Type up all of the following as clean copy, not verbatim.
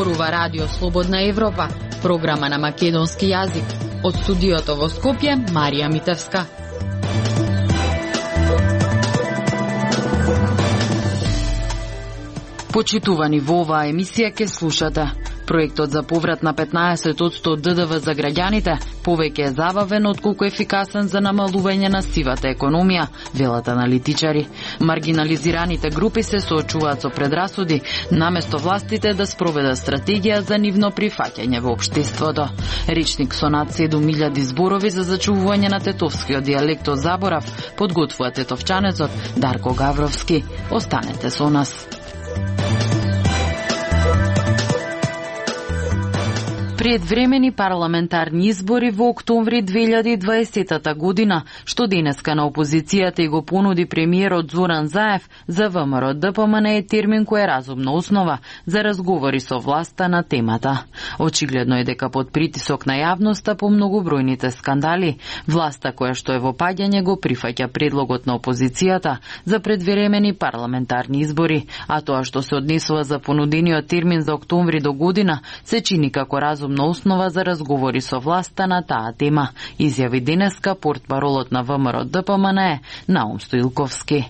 зборува Радио Слободна Европа, програма на македонски јазик. Од студиото во Скопје, Марија Митевска. Почитувани во оваа емисија ке слушате. Проектот за поврат на 15% од ДДВ за граѓаните повеќе е забавен отколку ефикасен за намалување на сивата економија, велат аналитичари. Маргинализираните групи се соочуваат со предрасуди, наместо властите да спроведат стратегија за нивно прифаќање во општеството. Речник со над 7000 зборови за зачувување на тетовскиот дијалект од заборав подготвува тетовчанецот Дарко Гавровски. Останете со нас. Предвремени парламентарни избори во октомври 2020 година, што денеска на опозицијата и го понуди премиерот Зоран Заев, за ВМРО ДПМН е термин кој е разумна основа за разговори со власта на темата. Очигледно е дека под притисок на јавноста по многобројните скандали, власта која што е во паѓање го прифаќа предлогот на опозицијата за предвремени парламентарни избори, а тоа што се однесува за понудениот термин за октомври до година се чини како разумна основа за разговори со власта на таа тема, изјави денеска портпаролот на ВМРО ДПМН Наум Стоилковски.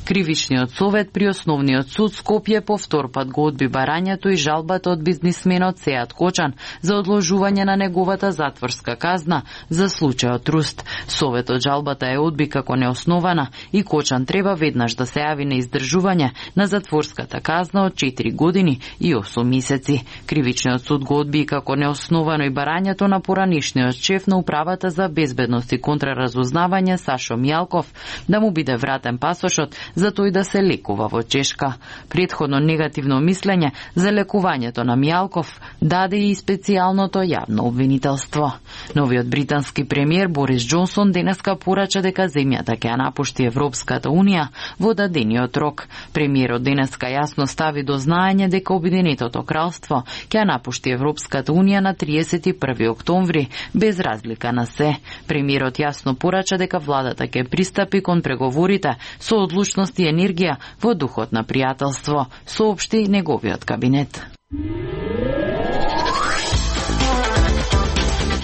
Кривичниот совет при Основниот суд Скопје повтор пат го одби барањето и жалбата од бизнисменот Сеат Кочан за одложување на неговата затворска казна за случајот Руст. Советот жалбата е одби како неоснована и Кочан треба веднаш да се јави на издржување на затворската казна од 4 години и 8 месеци. Кривичниот суд го одби како неосновано и барањето на поранишниот шеф на управата за безбедност и контраразузнавање Сашо Мијалков да му биде вратен пасошот за тој да се лекува во Чешка. Претходно негативно мислење за лекувањето на Мијалков даде и специјалното јавно обвинителство. Новиот британски премиер Борис Џонсон денеска порача дека земјата ќе ја напушти Европската Унија во дадениот рок. Премиерот денеска јасно стави до знаење дека Обединетото кралство ќе ја напушти Европската Унија на 31 октомври без разлика на се. Премиерот јасно порача дека владата ќе пристапи кон преговорите со одлучност и енергија во духот на пријателство, соопшти неговиот кабинет.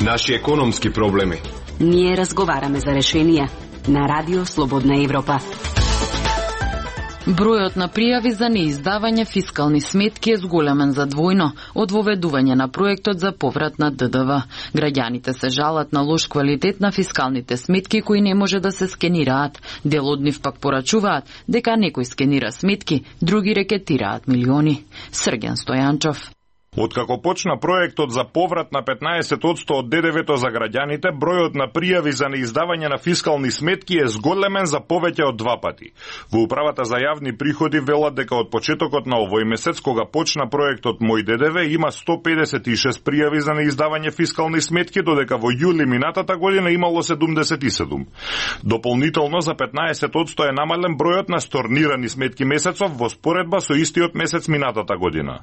Наши економски проблеми. Ние разговараме за решенија на Радио Слободна Европа. Бројот на пријави за неиздавање фискални сметки е зголемен за двојно од воведување на проектот за поврат на ДДВ. Граѓаните се жалат на лош квалитет на фискалните сметки кои не може да се скенираат. Дел од нив пак порачуваат дека некој скенира сметки, други рекетираат милиони. Срген Стојанчов. Откако почна проектот за поврат на 15% од ДДВ-то за граѓаните, бројот на пријави за неиздавање на фискални сметки е зголемен за повеќе од 2 пати. Во управата за јавни приходи велат дека од почетокот на овој месец, кога почна проектот Мој ДДВ, има 156 пријави за неиздавање фискални сметки, додека во јули минатата година имало 77. Дополнително за 15% е намален бројот на сторнирани сметки месецов во споредба со истиот месец минатата година.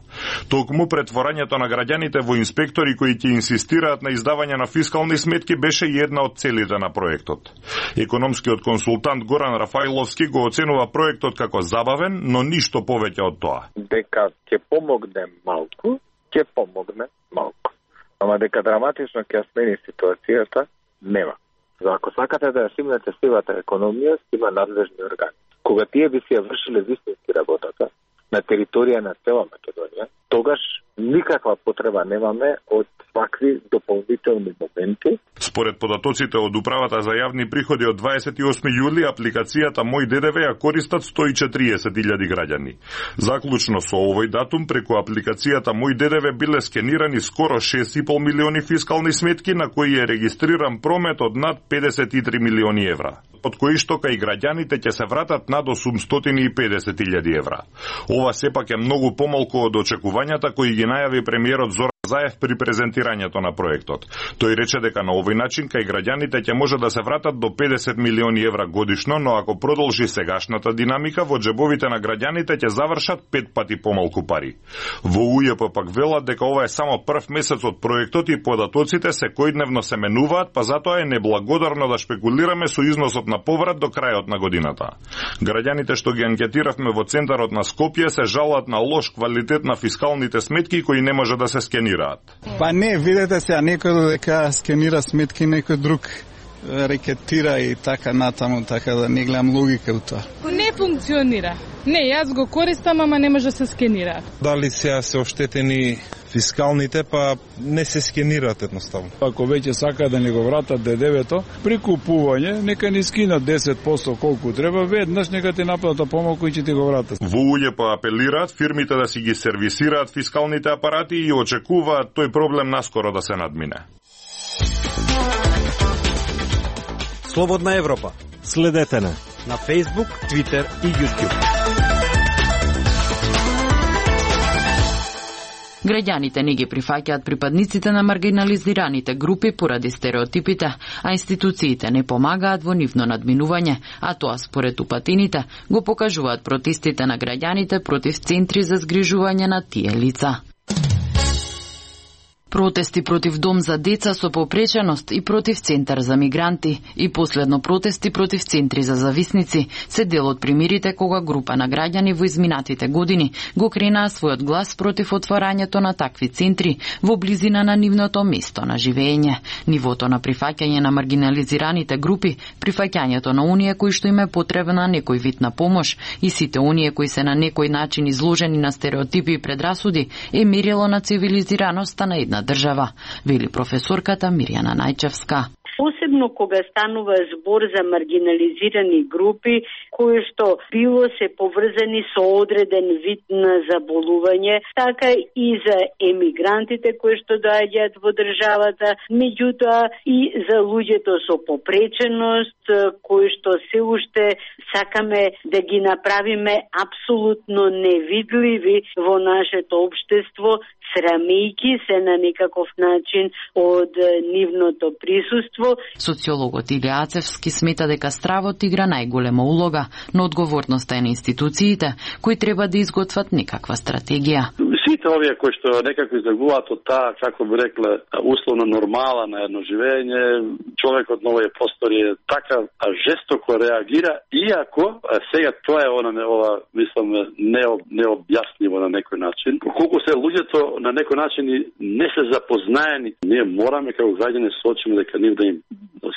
Токму претворањето на граѓаните во инспектори кои ќе инсистираат на издавање на фискални сметки беше една од целите на проектот. Економскиот консултант Горан Рафаиловски го оценува проектот како забавен, но ништо повеќе од тоа. Дека ќе помогне малку, ќе помогне малку. Ама дека драматично ќе смени ситуацијата, нема. За ако сакате да ја симнете сивата економија, има надлежни органи. Кога тие би си ја вршиле вистински работата на територија на цела Македонија, тогаш никаква потреба немаме од вакви дополнителни моменти. Според податоците од Управата за јавни приходи од 28 јули, апликацијата Мој ДДВ ја користат 140.000 граѓани. Заклучно со овој датум, преку апликацијата Мој ДДВ биле скенирани скоро 6,5 милиони фискални сметки, на кои е регистриран промет од над 53 милиони евра, од кои што кај граѓаните ќе се вратат над 850.000 евра. Ова сепак е многу помалку од очекувањата кои ги најави премиерот Зоран Заев при презентирањето на проектот. Тој рече дека на овој начин кај граѓаните ќе може да се вратат до 50 милиони евра годишно, но ако продолжи сегашната динамика, во џебовите на граѓаните ќе завршат 5 пати помалку пари. Во УЈП пак велат дека ова е само прв месец од проектот и податоците секојдневно се менуваат, па затоа е неблагодарно да шпекулираме со износот на поврат до крајот на годината. Граѓаните што ги анкетиравме во центарот на Скопје се жалат на лош квалитет на фискалните сметки кои не може да се скенираат. Па не, видете се, некој дека скенира сметки, некој друг рекетира и така натаму, така да не гледам логика у тоа. Не функционира. Не, јас го користам, ама не може да се скенира. Дали се оштетени фискалните, па не се скенираат едноставно. Ако веќе сака да ни го вратат ДДВ-то, при купување, нека ни скинат 10% колку треба, веднаш нека ти наплата помалку и ќе ти го вратат. Во УЈП апелираат фирмите да си ги сервисираат фискалните апарати и очекуваат тој проблем наскоро да се надмине. Слободна Европа. Следете на Facebook, Twitter и YouTube. Граѓаните не ги прифаќаат припадниците на маргинализираните групи поради стереотипите, а институциите не помагаат во нивно надминување, а тоа според упатените го покажуваат протестите на граѓаните против центри за згрижување на тие лица. Протести против дом за деца со попреченост и против центар за мигранти и последно протести против центри за зависници се дел од примерите кога група на граѓани во изминатите години го кренаа својот глас против отворањето на такви центри во близина на нивното место на живење. Нивото на прифаќање на маргинализираните групи, прифаќањето на оние кои што им е потребна некој вид на помош и сите оние кои се на некој начин изложени на стереотипи и предрасуди е мерило на цивилизираноста на една држава, вели професорката Мирјана Најчевска. Посебно кога станува збор за маргинализирани групи кои што било се поврзани со одреден вид на заболување, така и за емигрантите кои што доаѓаат во државата, меѓутоа и за луѓето со попреченост кои што се уште сакаме да ги направиме апсолутно невидливи во нашето општество, срамејки се на некаков начин од нивното присуство. Социологот Илија Ацевски смета дека стравот игра најголема улога, но одговорноста е на институциите кои треба да изготват некаква стратегија. Сите овие кои што некако излегуваат од таа, како би рекле, условно нормала на едно живење, човекот на овие простори така жестоко реагира, иако сега тоа е ова мислам необјасниво на некој начин. Колку се луѓето на некој начин не се запознаени, ние мораме како граѓани сочиме дека нив да им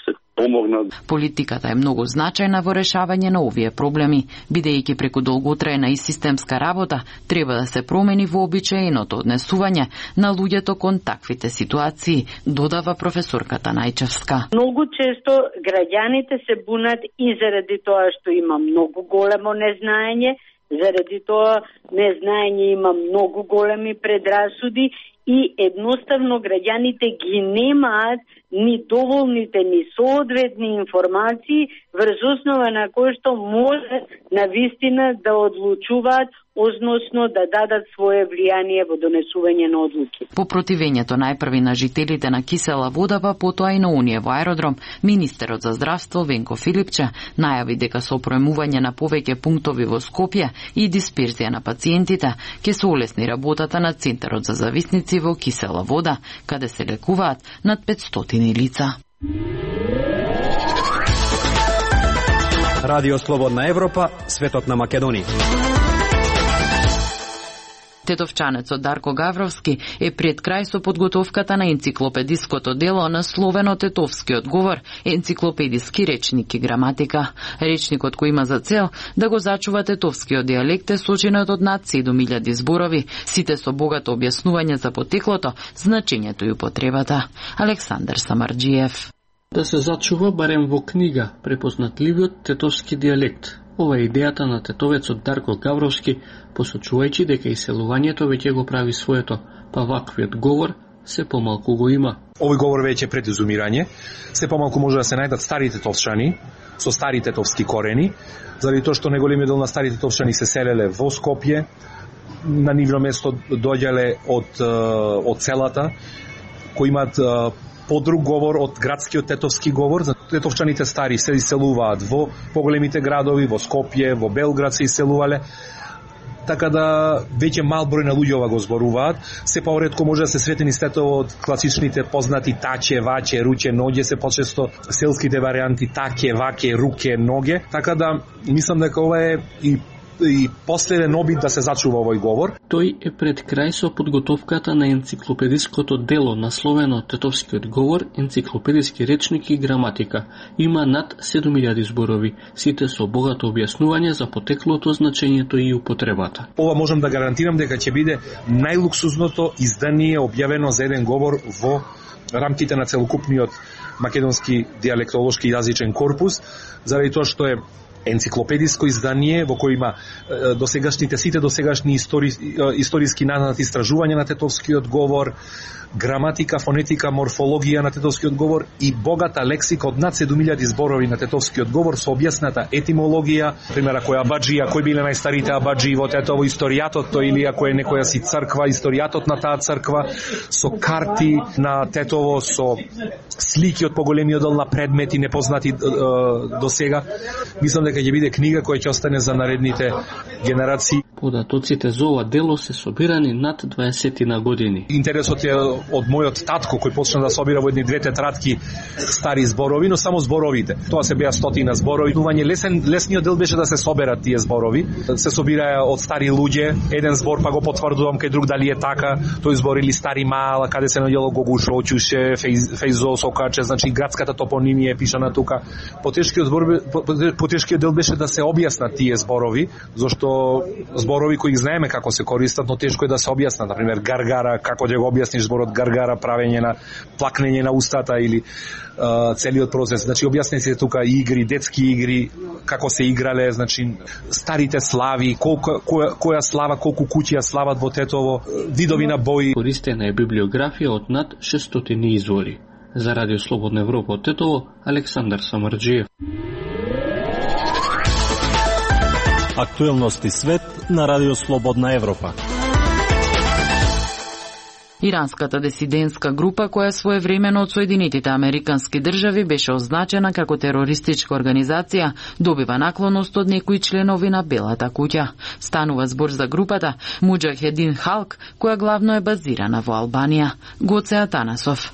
се помогнат. Политиката е многу значајна во решавање на овие проблеми, бидејќи преку долготрајна и системска работа треба да се промени вообичаеното однесување на луѓето кон таквите ситуации, додава професорката Најчевска. Многу често граѓаните се бунат и заради тоа што има многу големо незнаење, заради тоа незнаење има многу големи предрасуди и едноставно граѓаните ги немаат ни доволните, ни соодветни информации врз основа на кои што може навистина да одлучуваат, односно да дадат свое влијание во донесување на одлуки. По противењето најпрви на жителите на кисела вода, па потоа и на оние во аеродром, министерот за здравство Венко Филипче најави дека со проемување на повеќе пунктови во Скопје и дисперзија на пациентите ќе се олесни работата на Центарот за зависници во кисела вода, каде се лекуваат над 500 лица. Радио Слободна Европа, светот на Македонија. Тетовчанецот Дарко Гавровски е пред крај со подготовката на енциклопедиското дело насловено Тетовскиот говор, енциклопедиски речник и граматика. Речникот кој има за цел да го зачува тетовскиот дијалект е сочинет од над 7000 зборови, сите со богато објаснување за потеклото, значењето и употребата. Александар Самарџиев. Да се зачува барем во книга препознатливиот тетовски дијалект. Ова е идејата на тетовецот Дарко Гавровски, посочувајќи дека иселувањето веќе го прави своето, па ваквиот говор се помалку го има. Овој говор веќе е пред изумирање, се помалку може да се најдат стари тетовчани со стари тетовски корени, заради тоа што неголемиот дел на стари тетовчани се селеле во Скопје, на нивно место доаѓале од селата, кои имаат подруг говор од градскиот тетовски говор. Тетовчаните стари се иселуваат во поголемите градови, во Скопје, во Белград се иселувале. Така да веќе мал број на луѓе го зборуваат. Се поретко може да се сретени стетово од класичните познати таче, ваче, руќе, ноѓе, се почесто селските варианти таке, ваке, руке, ноге. Така да мислам дека ова е и последен обид да се зачува овој говор. Тој е пред крај со подготовката на енциклопедиското дело насловено Тетовскиот говор, енциклопедиски речник и граматика. Има над 7000 зборови, сите со богато објаснување за потеклото, значењето и употребата. Ова можам да гарантирам дека ќе биде најлуксузното издание објавено за еден говор во рамките на целокупниот македонски диалектолошки јазичен корпус, заради тоа што е енциклопедиско издание во кој има сите досегашни историски назнати истражувања на тетовскиот говор, граматика, фонетика, морфологија на тетовскиот говор и богата лексика од над 7000 зборови на тетовскиот говор со објасната етимологија, пример ако е абаджија, кои биле најстарите абаджии во Тетово, историјатот тој, или ако е некоја си црква, историјатот на таа црква, со карти на Тетово, со слики од поголемиот дел на предмети непознати до сега. Мислам дека ќе биде книга која ќе остане за наредните генерации. Податоците за ова дело се собирани над 20 на години. Интересот е од мојот татко кој почна да собира во едни две тетрадки стари зборови, но само зборовите. Тоа се беа стотина зборови. Лесниот дел беше да се соберат тие зборови. Се собираа од стари луѓе, еден збор па го потврдувам кај друг дали е така. Тој збор или стари мала, каде се наоѓало Гогуш, Очуше, Фејзо, Сокаче, значи градската топонимија е пишана тука. Потешкиот дел беше да се објаснат тие зборови, зашто зборови кои знаеме како се користат, но тешко е да се објаснат. Например, гаргара, како ќе го објасниш зборот гаргара, правење на плакнење на устата или целиот процес. Значи објаснете се тука игри, детски игри, како се играле, значи старите слави, која слава, колку куќи ја слават во Тетово, видови на бои. Користена е библиографија од над 600 извори. За Радио Слободна Европа од Тетово, Александар Самарџиев. Актуелности свет на Радио Слободна Европа. Иранската дисидентска група, која своевремено од Соединетите Американски држави беше означена како терористичка организација, добива наклоност од некои членови на Белата куќа. Станува збор за групата Муџахедин Халк, која главно е базирана во Албанија. Гоце Атанасов.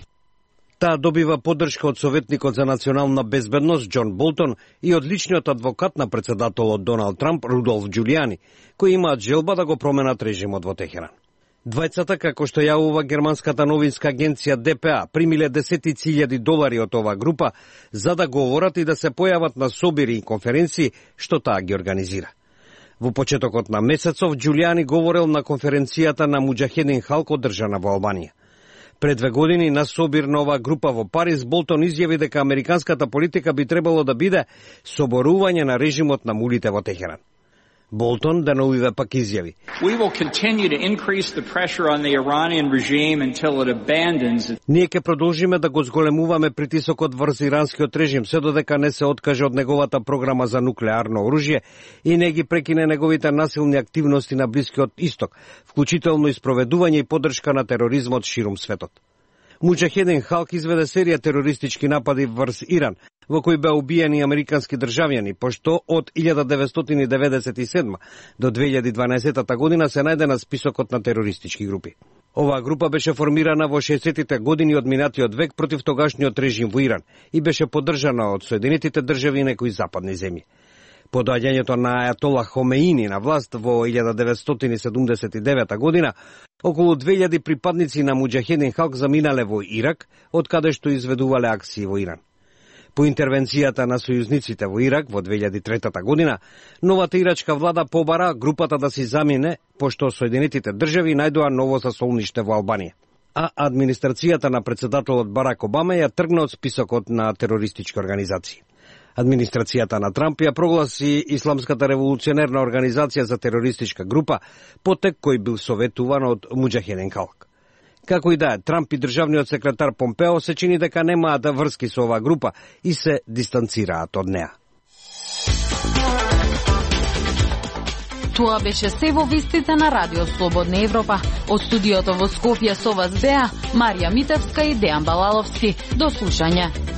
Таа добива поддршка од советникот за национална безбедност Џон Болтон и од личниот адвокат на председателот Доналд Трамп Рудолф Џулијани, кои имаат желба да го променат режимот во Техеран. Двајцата, како што јавува германската новинска агенција ДПА, примиле $10,000 од оваа група за да говорат и да се појават на собири и конференции што таа ги организира. Во почетокот на месецов Џулијани говорел на конференцијата на Муџахедин Халк одржана во Албанија. Пред 2 години на собир на оваа група во Париз, Болтон изјави дека американската политика би требало да биде соборување на режимот на мулите во Техеран. Болтон деновиве пак изјави: Ние ќе продолжиме да го зголемуваме притисокот врз иранскиот режим се додека не се откаже од неговата програма за нуклеарно оружје и не ги прекине неговите насилни активности на Блискиот Исток, вклучително и спроведување и поддршка на тероризмот ширум светот. Муџахедин Халк изведе серија терористички напади врз Иран, во кои беа убиени американски државјани, пошто од 1997 до 2012 година се најде на списокот на терористички групи. Оваа група беше формирана во 60-тите години од минатиот век против тогашниот режим во Иран и беше поддржана од Соединетите држави и некои западни земји. По доаѓањето на Ајатола Хомеини на власт во 1979 година, околу 2000 припадници на Муџахедин Халк заминале во Ирак, од каде што изведувале акции во Иран. По интервенцијата на сојузниците во Ирак во 2003 година, новата ирачка влада побара групата да си замине, пошто Соединетите држави најдоа ново засолниште во Албанија. А администрацијата на председателот Барак Обама ја тргна од списокот на терористички организации. Администрацијата на Трамп ја прогласи Исламската револуционерна организација за терористичка група, потек кој бил советуван од Муџахедин Халк. Како и да е, Трамп и државниот секретар Помпео се чини дека немаат врски со оваа група и се дистанцираат од неа. Тоа беше се во вестите на Радио Слободна Европа. Од студиото во Скопје со вас беа Марија Митевска и Дејан Балаловски. До слушање.